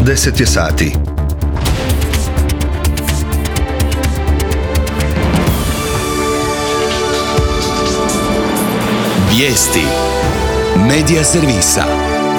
10 je sati. Vijesti Medija servisa.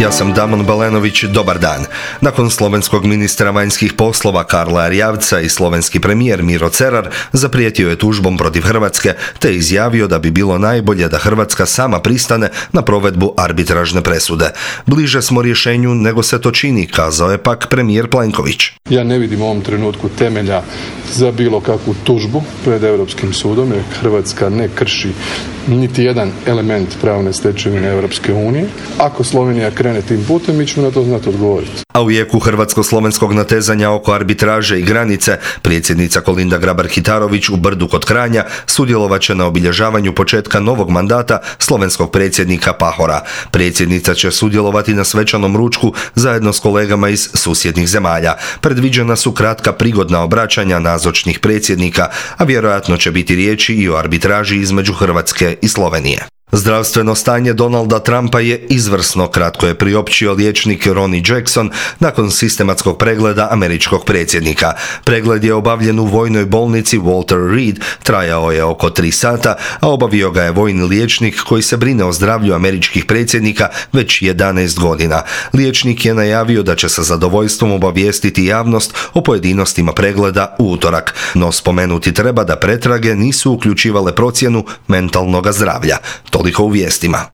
Ja sam Damon Balenović, dobar dan. Nakon slovenskog ministra vanjskih poslova Karla Erjavca i slovenski premijer Miro Cerar zaprijetio je tužbom protiv Hrvatske te izjavio da bi bilo najbolje da Hrvatska sama pristane na provedbu arbitražne presude. Bliže smo rješenju nego se to čini, kazao je pak premijer Plenković. Ja ne vidim u ovom trenutku temelja za bilo kakvu tužbu pred Europskim sudom jer Hrvatska ne krši niti jedan element pravne stečevine Europske unije. Ako Slovenija krene tim putem, mi ćemo na to znati odgovoriti. A u jeku hrvatsko-slovenskog natezanja oko arbitraže i granice, predsjednica Kolinda Grabar-Kitarović u Brdu kod Kranja sudjelovat će na obilježavanju početka novog mandata slovenskog predsjednika Pahora. Predsjednica će sudjelovati na svečanom ručku zajedno s kolegama iz susjednih zemalja. Predviđena su kratka prigodna obraćanja nazočnih predsjednika, a vjerojatno će biti riječi i o arbitraži između Hrvatske i Slovenije. Zdravstveno stanje Donalda Trumpa je izvrsno, kratko je priopćio liječnik Ronnie Jackson nakon sistematskog pregleda američkog predsjednika. Pregled je obavljen u vojnoj bolnici Walter Reed, trajao je oko 3 sata, a obavio ga je vojni liječnik koji se brine o zdravlju američkih predsjednika već 11 godina. Liječnik je najavio da će sa zadovoljstvom obavijestiti javnost o pojedinostima pregleda u utorak, no spomenuti treba da pretrage nisu uključivale procjenu mentalnog zdravlja. Toliko u vijestima.